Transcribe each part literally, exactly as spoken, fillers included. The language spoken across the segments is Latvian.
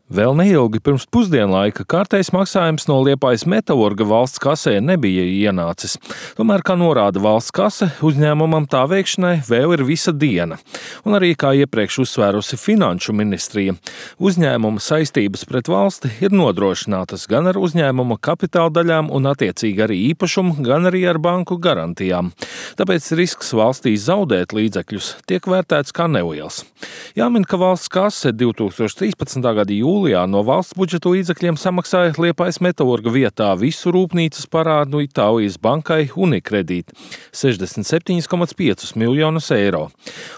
Vēl neilgi pirms pusdienlaika kārtējs maksājums no Liepājas Metalurga valsts kasē nebija ienācis. Tomēr, kā norāda valsts kase, uzņēmumam tā veikšanai vēl ir visa diena. Un arī, kā iepriekš uzsvērusi Finanšu ministrija, uzņēmuma saistības pret valsti ir nodrošinātas gan ar uzņēmuma kapitāla daļām un attiecīgi arī īpašumu, gan arī ar banku garantijām. Tāpēc risks valstī zaudēt līdzekļus tiek vērtēts kā neliels. Jāmin, ka valsts kase divtūkstoš trīspadsmitā gada jūlijā no valsts budžeta līdzekļiem samaksāja Liepājas Metalurga vietā visu rūpnīcas parādu Itālijas bankai Unicredit - sešdesmit septiņus komats piecus miljonus eiro.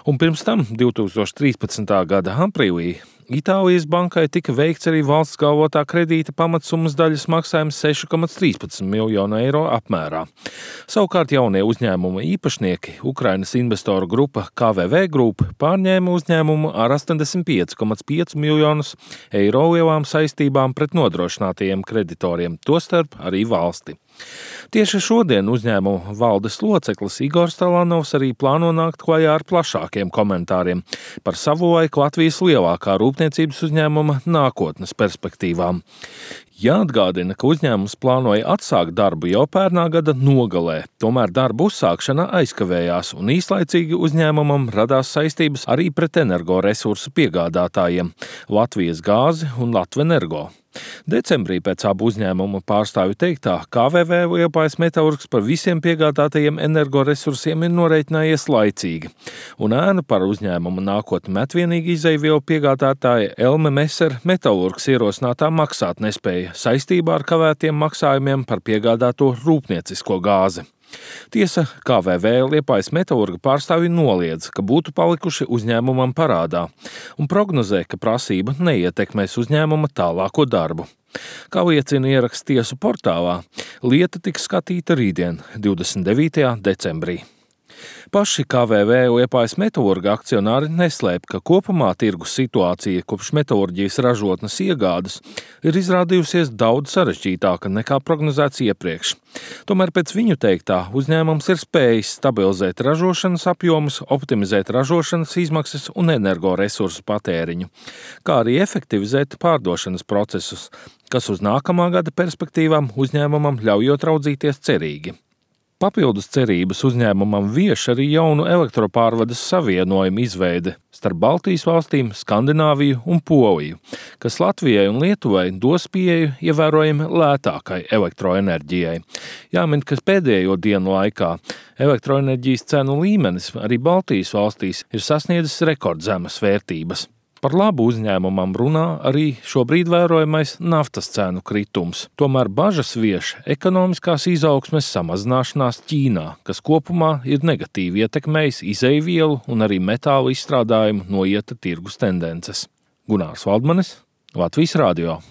Un pirms tam, divtūkstoš trīspadsmitā gada aprīlī, Itālijas bankai tika veikts arī valsts galvotā kredīta pamatsummas daļas maksājums seši komats trīspadsmit miljonu eiro apmērā. Savukārt jaunie uzņēmuma īpašnieki, Ukrainas investoru grupa K V V Group, pārņēma uzņēmumu ar astoņdesmit pieci komats pieci miljonus eiro lielām saistībām pret nodrošinātajiem kreditoriem, tostarp arī valsti. Tieši šodien uzņēmuma valdes loceklis Igors Talanovs arī plāno nākt klajā ar plašākiem komentāriem par savulaik Latvijas lielākā rūpniecības uzņēmuma nākotnes perspektīvām. Jāatgādina, ka uzņēmums plānoja atsākt darbu jau pērnā gada nogalē, tomēr darbu uzsākšana aizkavējās un īslaicīgi uzņēmumam radās saistības arī pret energoresursu piegādātājiem – Latvijas gāzi un Latvenergo. Decembrī pēc abu uzņēmumu pārstāvju teiktā K V V Liepājas Metalurgs par visiem piegādātajiem energoresursiem ir noreiķinājies laicīgi, un ēnu par uzņēmumu nākotni met vienīgi izejvielu piegādātāja Elme Meser Metalurgs ierosinātā maksāt nespēja saistībā ar kavētiem maksājumiem par piegādāto rūpniecisko gāzi. Tiesa, K V V Liepājas Metalurga pārstāvji noliedz, ka būtu palikuši uzņēmumam parādā, un prognozē, ka prasība neietekmēs uzņēmuma tālāko darbu. Kā liecina ieraksts tiesu portālā, lieta tiks skatīta rītdien, divdesmit devītajā decembrī. Paši K V V Liepājas Metalurga akcionāri neslēp, ka kopumā tirgus situācija kopš metalurģijas ražotnes iegādes ir izrādījusies daudz sarežģītāka nekā prognozēts iepriekš. Tomēr pēc viņu teiktā uzņēmums ir spējis stabilizēt ražošanas apjomus, optimizēt ražošanas izmaksas un energoresursu patēriņu, kā arī efektivizēt pārdošanas procesus, kas uz nākamā gada perspektīvām uzņēmumam ļaujot raudzīties cerīgi. Papildus cerības uzņēmumam vieš arī jaunu elektropārvades savienojumu izveide starp Baltijas valstīm, Skandināviju un Poliju, kas Latvijai un Lietuvai dos pieeju ievērojami lētākai elektroenerģijai. Jāmin, ka pēdējo dienu laikā elektroenerģijas cenu līmenis arī Baltijas valstīs ir sasniedzis rekordzemes vērtības. Par labu uzņēmumam runā arī šobrīd vērojamais naftas cenu kritums. Tomēr bažas vieš ekonomiskās izaugsmes samazināšanās Ķīnā, kas kopumā ir negatīvi ietekmējis izejvielu un arī metālu izstrādājumu noieta tirgus tendences. Gunārs Valdmanis, Latvijas radio.